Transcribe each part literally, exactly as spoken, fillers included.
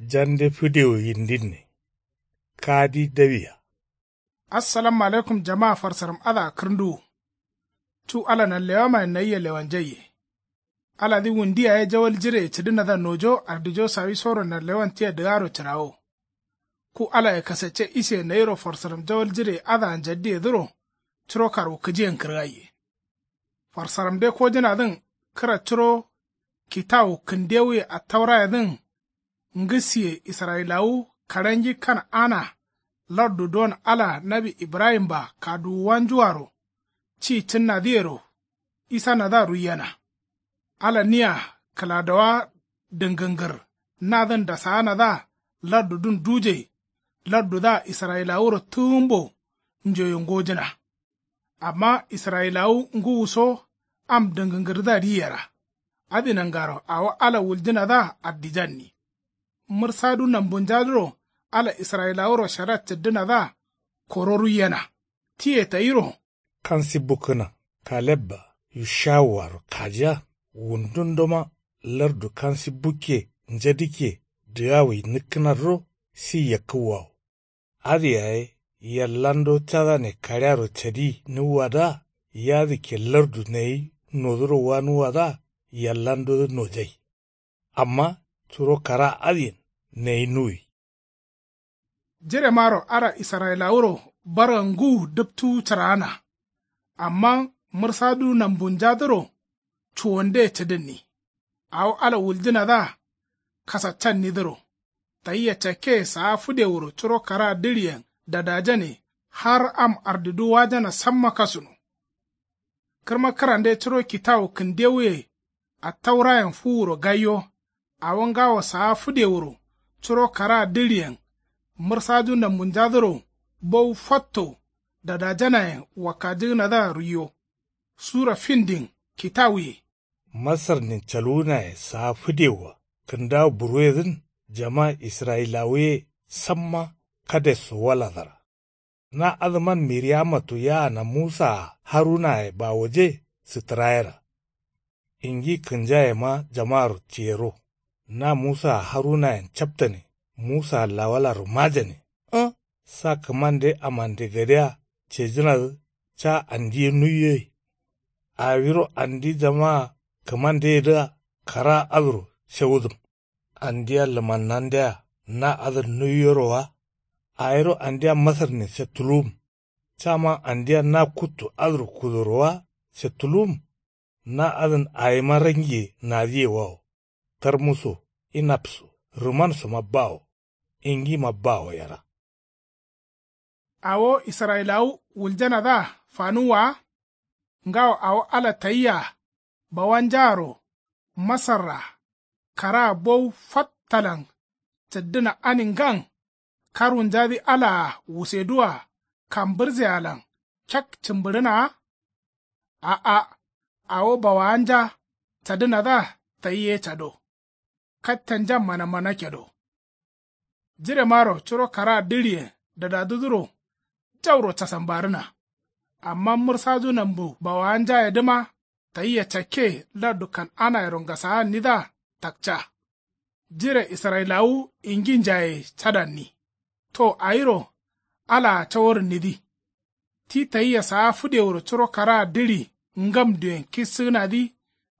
Jande fǝdewo yindinne. Kadi dawiya. Assalamu alaikum jamaa farsaram adǝa kǝrnduwu. Cu ala nanlewamayen nayia lewanjaiye. Aladǝ wundiya ye jawal jireye cǝdǝnadǝa nojo ardijo sawisoro nanlewan tia dǝgaro cǝrawo. Ku alaye kasacce isiye nayiro farsaram jawal jireye adǝa njaddiyedǝro curo karwukǝjiyen kǝrgaiye. Farsaramde kojǝnadǝn kǝra curo kitawu kǝndewuye attaurayedǝn ngǝsiye israyilawu karengi kan'ana lardu duwon ala nawi ibrahim-a kaduwuwanjuaro ci cǝnnadǝyero isanadǝa ruiyena. Ala nia kǝladowa dǝngǝngǝr nadǝn dasaanadǝa lardudǝn dujai lardudǝa israyilawuro tǝgǝmbo njoye ngojǝna. Amma israyilawu ngǝwuso am dǝngǝngǝrdǝa ri yera. Adǝ nangaro awo ala wuljǝnadǝa addijanni. Mǝrsadu nambunjadǝro ala israyilawuro shara cǝddǝnadǝa koro ruiyena. Tiye tayiro. Kansi bukkǝna kaleb-a yushawuaro kajiya wundundoma lardu kansi bukke njadǝkke dǝgawui nǝkkǝnadǝro si yakkǝwwawo. Adǝ yaye yallando cadane kaɍearo cadi nuwwadǝa yadǝkke lardu nayi nodǝro wanuwwadǝa yallandodǝ nojai. Amma curo kara adǝyen nayi nuwi. Jiremaro ala israyilawuro barga ngǝwu dǝptuwu cǝraana. Amma mǝrsadu nambunjadǝro cuwonde cǝdǝnni. Awo ala wuljǝnadǝa kasaccannidǝro tayia cakke saa fǝdewuro curo kara dǝɍiyen dadajane har am ardidu wajana samma kasuno. Kǝrma kǝrande curo kitawu kǝndewuye attaurayen fuwuro gaiyo. Awo ngawo saa fǝdewuro curo kara dǝɍiyen mǝrsaju nambunjadǝro bowu fatto dadajanayen wakkajǝgǝnadǝa ruiyo. Sura findin kitawuye. Masarnin caluwunaye saa fǝdewua kǝndawo buruwedǝn jama israyilawu ye samma kadesso waladara. Na adǝman miriyamattu yaana musaa harunaye bawoje sǝttǝrayera. Ingi kǝnjayema jamaro tiyero. Na musaa harunayen captane musaa lawalaro majane. Ǝ sa kǝmande amande gadea cejǝnadǝ ca andi ye nuiyoye. Awiro andi jamaa kǝmandeyedǝa karaa adǝro shawudǝm. Andia lǝmannandea na adǝn nuiyoro wa. Awiro andia masarnin settuluwum. Caman andia na kuttu adǝro kudoro wa settuluwum. Na adǝn awima rangiye nadǝyewawo. Tarmuso inapso rǝmansoma bawo. Ingima bawo yera. Awo israyilawu wuljanadǝa fanuwwa wa. Ngawo awo ala tayia bawanjaaro masarra karaa bowu fattalan cǝddǝna aningan karwunjadǝ alaa wuseduwa kambǝrsealan cak cǝmbǝɍǝnaa. A'a awo bawawanja cadǝnadǝa tayi ye cado. Kattanja manamana kedo. Jiremaro curo karaa dǝɍiyen dadaduduro jauro casambarǝna. Amma mǝrsaju nambu bawawanjayedǝma tayia cakke lardu kan'anayero ngasaannidǝa takca. Jire israyilawu inginjaye cadanni. To awiro alaa caworǝnnidǝ. Ti tayia saa fǝdewuro curo karaa dǝɍi ngamduyen kissǝgǝnadǝ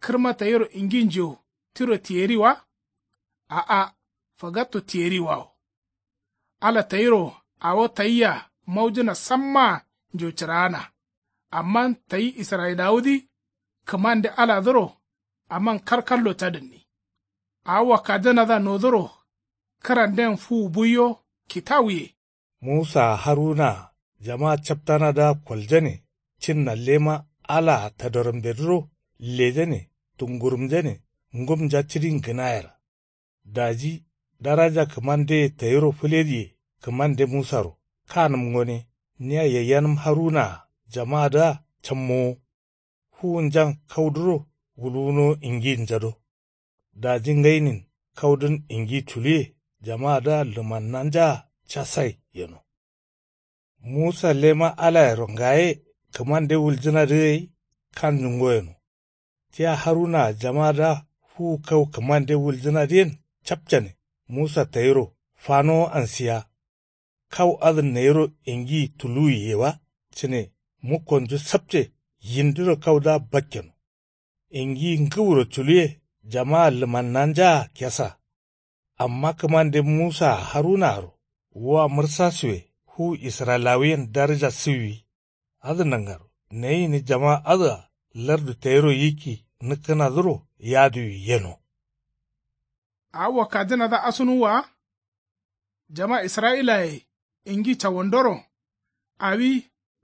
kǝrma tayiro inginjo tiro tiyeri wa. A'a fagatto tiyeriwawo. Ala tayiro awo tayia maujǝna sammaa njo cǝraana. Amma tayi israyilawudǝ kǝmande aladǝro aman kalkallo cadǝnni. Awo wakkajanadǝa nodoro kǝranden fuwu buiyo kitawuye. Musaa harunaa jamaa captanadǝa koljane cinna lema alaa tadorambedǝro lejane tungurumjane ngumnja cǝdin gǝnayera. Daji daraja kǝmandeye tayiro fǝlediye kǝmande musaro kanǝm gone nia yayyanǝm harunaa jamaadǝa cammowo. Fuwunjan kauduro wulwunowo inginnjado. Daji ngainin kaudun ingi culuwe jamaadǝa lǝmannanjaa casai yeno. Musa lema alayero ngaye kǝmande wuljǝnadǝ gai kanjungo yeno. Tia harunaa jamaadǝa fuwu kau kǝmande wuljǝnadǝyen capcane. Musa tayiro fanowo ansiya. Kau adǝ nayiro ingiyi tuluwiye wa cǝne mukkonju sapce yindiro kaudǝa bakkeno. Ingiyi ngǝwuro culuwe jamaa lǝmannanjaa kesa. Amma kǝmande musaa harunaaro wa mǝrsasuwe fu israyilawuyen daraja sǝwwi. Adǝ nangaro nayi gǝni jama adǝa lardu tayiro yikki nǝkkǝnadǝro yaduwi yeno. Awo wakkajǝnadǝa asunuwwa wa. Jama israyilaye ingi cawandoro awi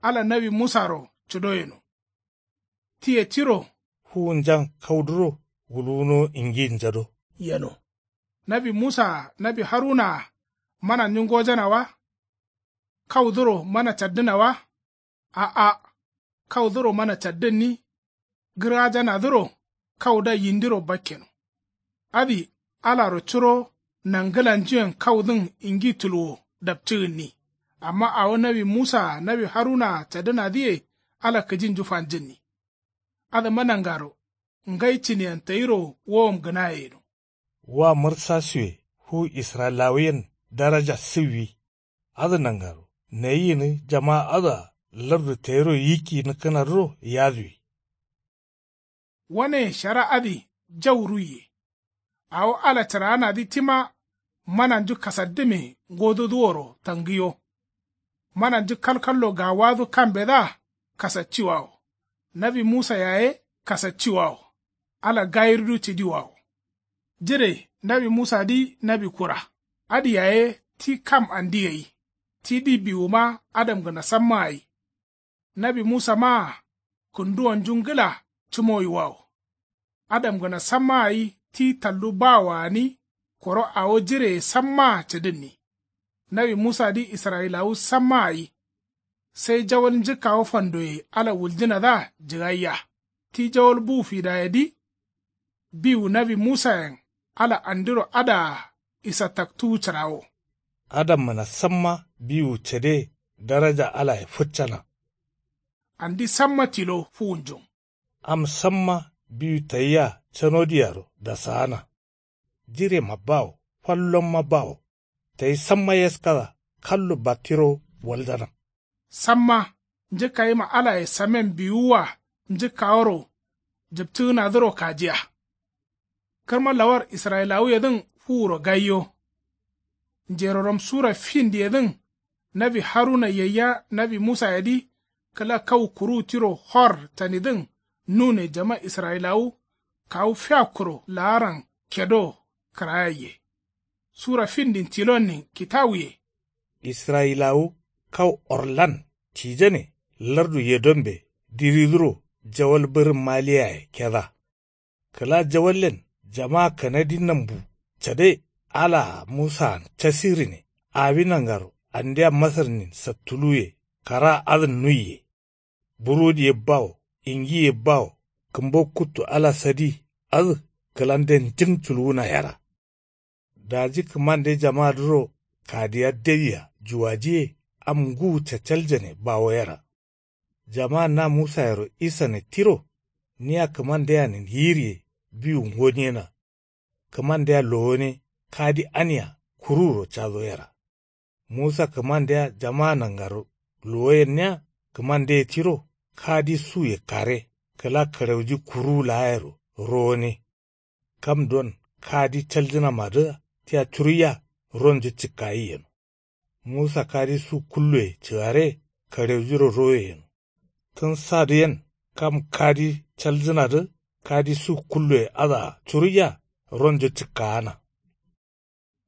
ala nawi musaro cudo yeno. Tiye tiro fuwunjan kauduro wuluwuno ingi njado yeno. Nawi musaa nawi harunaa mananju ngojana wa? Kauduro mana caddǝna wa? A'a. Kauduro mana caddǝnni. Gǝrajanadǝro kauda yindiro bakkeno. Adǝ alaro curo nangǝlanjuyen kaudǝn ingi tuluwo dapcǝgǝnni. Amma awo nawi musaa nawi harunaa cadǝnadǝye ala kǝjinju fanjǝnni. Adǝma nangaro ngai cǝniyen tayiro wowom gǝnaye yeno. Wa mǝrsasuwe fu israyilawuyen daraja sǝwwi. Adǝ nangaro nayi gǝni jama adǝa lardu tayiro yikki nǝkkǝnadǝro yaduwi. Wane shara adǝ jau ruiye. Awo ala cǝraanadǝ tima mananju kasaddǝme ngododǝworo tangǝyo. Mananju kalkallo gawadǝ kambedǝa kasacciwawo. Nawi musa yaye kasacciwawo. Ala gayirdu cǝdiwawo. Jire nawi musadǝ nawi kura. Adǝ yaye ti kam andi gai. Tidǝ biwuma adamgǝna samma gai. Nawi musamaa kǝnduwonju ngǝla cǝmowiwawo. Adamgǝna samma gai ti tallu bawoa gǝni koro awo jireye sammaa cǝdǝnni. Nawi musadǝ israyilawu samma gai. Sai jawal njǝkkawo fandoye ala wuljǝnadǝa jǝgaiya. Ti jawal bu fidayedǝ biwu nawi musayen ala andiro adǝa isataktuwu cǝrawo. Adamgǝna samma biwu cade daraja alaye fǝccana. Andi samma tilo fuwunjun. Am samma biwu tayia canodiyaro dasaana. Jirema bawo fallomma bawo. Tayi samma yaskada kallo battiro waldana. Samma njǝkkayima alaye samen biwuwa njǝkkaworo jǝptǝgǝnadǝro kajiya. Kǝrma lawar israyilawuyedǝn fuwuro gaiyo. Njeroram sura findiyedǝn nawi haruna yayya nawi musayedǝ kǝla kau kuruwu tiro hor tanidǝn nune jama israyilawu kawu fiyakkuro laaran kedo kǝrayaiye. Sura findin tilonnin kitawuye. Israyilawu kau orlan cijane lardu yedombe diridǝro jawal bǝrǝn maliyaye keda. Kǝla jawallen jama kanadi nambu cade alaa musaan casirine awi nangaro andia masarnin sattuluye karaa adǝn nuiye. Burodi ye bawo ingi ye bawo kǝmbo kuttu ala sadi adǝ kǝlande njǝng culuwuna yera. Daji kǝmande jamadǝro kadiya dewia juwajiye am ngǝwu cacaljane bawo yera. Jaman na musayero isane tiro nia kǝmandeanin yiriye biwu ngonyena. Kǝmandea lowone kadi ania kuruwuro cado yera. Musa kǝmandea jama nangaro lowoyenniya kǝmandeye tiro kadi suye kare kǝla kǝrauji kuruwu laayero rowone. Kam don kadi caljǝnamadǝa tia curuiya ronju cǝkkayi yeno. Musa kadi su kulloye cǝgare kareujiro roye yeno. Tǝn sadǝ yen kam kadi caljǝnadǝ kadi su kulloye adǝa curuiya ronjo cǝkkaana.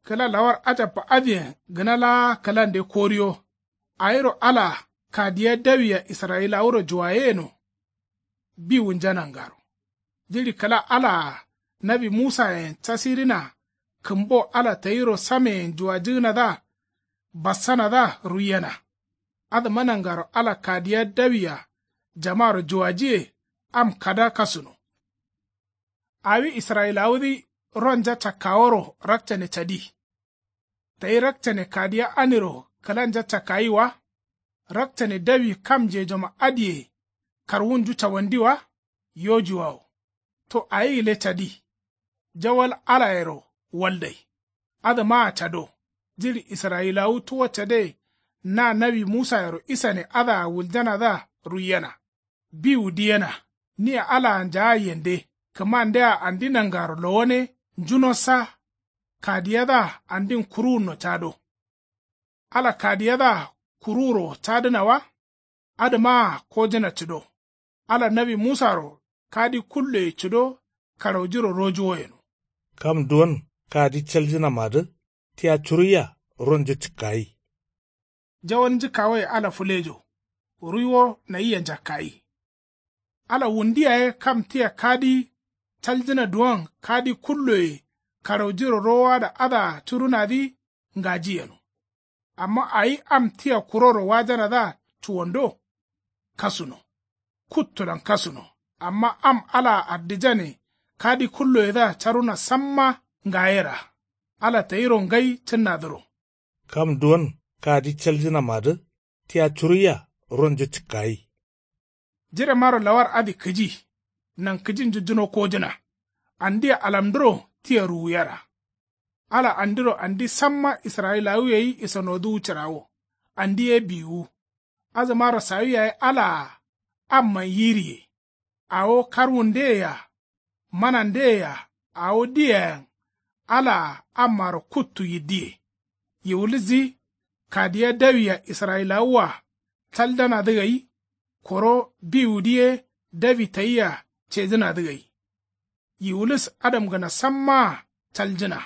Kǝla lawar ajabba adǝyen gǝna laa kǝlande koriyo. Awiro alaa kadiya dawiya israyilawuro juwaye yeno. Biwunja nangaro jiɍi kǝla alaa nawi musayen casirina kǝmbo ala tayiro sameyen juwajǝgǝnadǝa bassanadǝa ruiyena. Adǝma nangaro ala kadiya dawiya jamaro juwajiye am kada kasuno. Awi israyilawudǝ ronja cakkaworo rakcane cadi. Tayi rakcane kadiya aniro kǝlanja cakkayi wa. Rakcane dawi kam njejoma adǝye karwunju cawandi wa. Yojuwawo to awi gǝle cadi. Jawal alayero waldai. Adǝmaa cado. Jiɍi israyilawu tuwo cade. Na nawi musayero isane adǝa wuljanadǝa ruiyena. Biwu diyena. Nia alaa njaa yende. Kǝmandea andi nangaro lowone. Njunossa. Kadiyadǝa andin kuruwunno cado. Ala kadiyadǝa kuruwuro cadǝna wa. Adǝmaa kojǝna cǝdo. Ala nawi musaro kadi kulloye cǝdo. Karaujiro rojuwo yeno. Kam duwon kadi caljǝnamadǝ tia curuiya ronjo cǝkkayi. Jawal njǝkkawoye ala fǝlejo. Ruiwo nayia njakkayi. Ala wundu yaye kam tia kadi caljǝna duwon kadi kulloye karaujiro rowoada adǝa curunadǝ ngaji yeno. Amma awi am tia kuroro wajanadǝa cuwando. Kasuno. Kuttulan kasuno. Amma am alaa ardijane kadi kulloyedǝa caruna samma ngayeraa. Ala tayiro ngai cǝnnadǝro. Kam duwon kadi caljǝnamadǝ tia curuiya ronjo cǝkkayi. Jiremaro lawar adǝ kǝji. Nankǝjin jujjuno kojǝna. Andia alamdǝro tia ruwuyeraa. Ala andiro andi samma israyilawu gai isanoduwu cǝrawo. Andi ye biwuwu. Azǝmaro sawi yaye alaa. Amman yiriye. Awo karwundeye-a. Manandeye-a. Awo diyeyen. Alaa ammaro kuttu yiddiye. Yiwulisdǝ kadiya dawi-a israyilawua caldanadǝ gai. Koro biwudǝ ye dawi tayia cejǝnadǝ gai. Yiwulis adamgǝna sammaa caljǝna.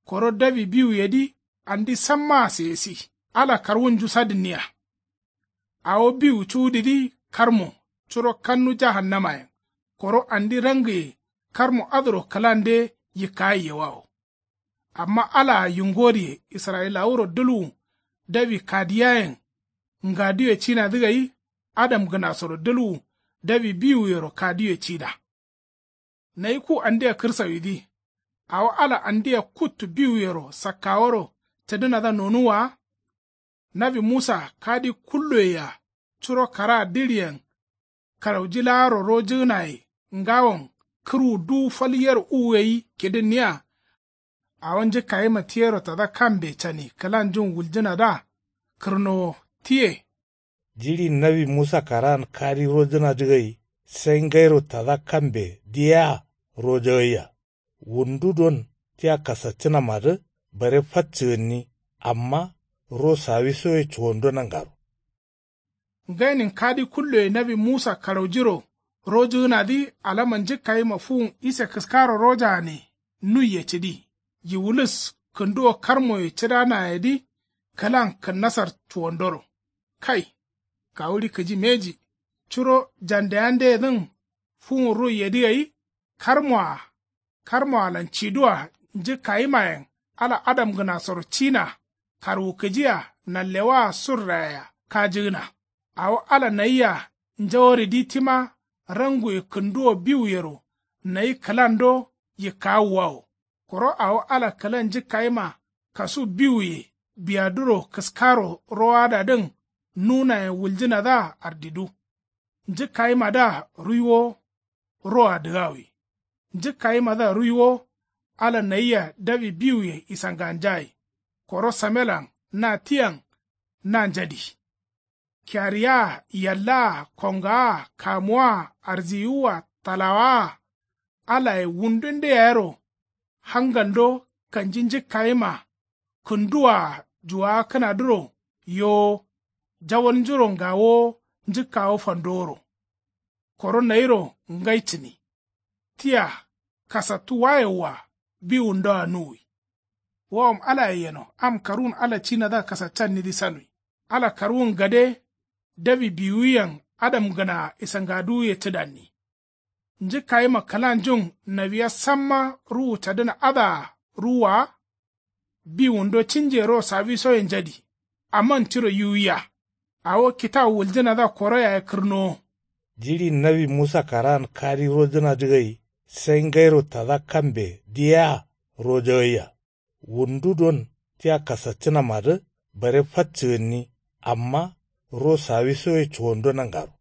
Koro dawi biwuyedǝ andi sammaa seyesi. Ala karwunju sadǝnniya. Awo biwu cuwudǝdǝ karmo curo kannu jahannamayen. Koro andi rangǝye karmo adǝro kǝlande yikkayaiyewawo. Amma alaa yingoriye israyilawuro dǝlwu dawi kadiyayen. Ngaduye cinadǝ gai adamgǝnasoro dǝlwu dawi biwuyero kaduye cida. Nayi ku andia kǝrsawidǝ. Awo ala andia kuttu biwuyero sakkaworo cǝdǝnadǝa nonuwwa wa. Nawi musa kadi kulloye-a curo karaa diɍiyen karauji laaro rojǝgǝnaye ngawon kǝrwu duwu fal yer uwu gai kidǝnniya. Awo njǝkkayima tiyero tada kambe cani kǝlanjun wuljǝnadǝa kǝrnowo tiye. Jiɍi nawi musa karaan kadi rojǝnadǝ gai sai ngairo tada kambe diyea rojagaiya. Wundu don tia kasaccǝnamadǝ bare fat cǝgǝnni. Amma ro sawisoye cuwando nangaro. Ngainin kadi kulloye nawi musa karaujiro rojǝgǝnadǝ alama njǝkkayima fuwun ise kǝskaro rojagane nuiye cǝdi. Yiwulis kǝnduwo karmoye cǝdanayedǝ kǝlan kǝnnasar cuwandoro. Kai. Kawuɍi kǝji mbeji. Curo jandeyandeyedǝn fuwun ruiyedǝ gai. Karmoa karmoalan cidua njǝkkayimayen ala adamgǝnasoro cina karwukǝjia nanlewaa surrayea kajǝgǝna. Awo ala nayia njaworidǝ tima ranguye kǝnduwo biwuyero nayi kǝlando yikkawuwawo. Koro awo ala kǝlan njǝkkayima kasu biwuye biyaduro kǝskaro rowadadǝn nunayen wuljǝnadǝa ardidu. Njǝkkayimadǝa ruiwo roa dǝgawi. Njǝkkayimadǝa ruiwo ala nayia dawi biwuye isanganjayi. Koro samelan na tiyan na njadi. Kiyariyaa yallaa kongaa kamuwaa arziyiwua talawaa alaye wundunde yayero hangalndo kanji njǝkkayima kǝnduwaa juwakǝnadǝro yowo jawalnjuro ngawowo njǝkkawo fandoworo. Koro nayiro ngai cǝni. Tia kasattu wayewwa biwundoa nuwi. Wawom alaye yeno am karwun ala cinadǝa kasaccannidǝ sanwi. Ala karwun gade dawi biwuyen adamgǝnaa isangaduwuye cǝdanni. Njǝkkayima kǝlanjun nawiya samma ruwu cadǝna adǝa ruwwa wa. Biwundo cinje ro sawisoye njadi. Aman tiro yiwuya. Awo kitawu wuljǝnadǝa koro yaye kǝrnowo. Jiɍi nawi musa karaan kadi rojǝnadǝ gai sai ngairo tada kambe diyea rojagaiya. Wundu don tia kasaccǝnamadǝ bare fat cǝgǝnni. Amma ro sawisoye cuwando nangaro.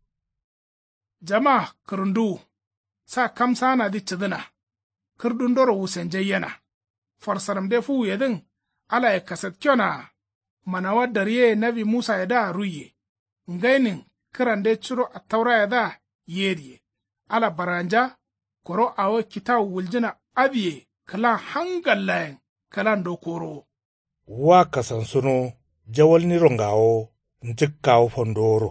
Jama kǝrǝnduwu. Sa kamsaanadǝ cǝdǝna. Kǝrdundoro wusenjaiyena. farsaramde fuwuyedǝn alaye kasatkeyonaa. Manawa daryeye nawi musayedǝa ruiye. Ngainin kǝrande curo attaurayedǝa yediye. Ala barganja koro awo kitawu wuljǝna adǝye kǝlan hangallayen kǝlando korowo. Wa kasansuno jawalniro ngawo njǝkkawo fandoworo.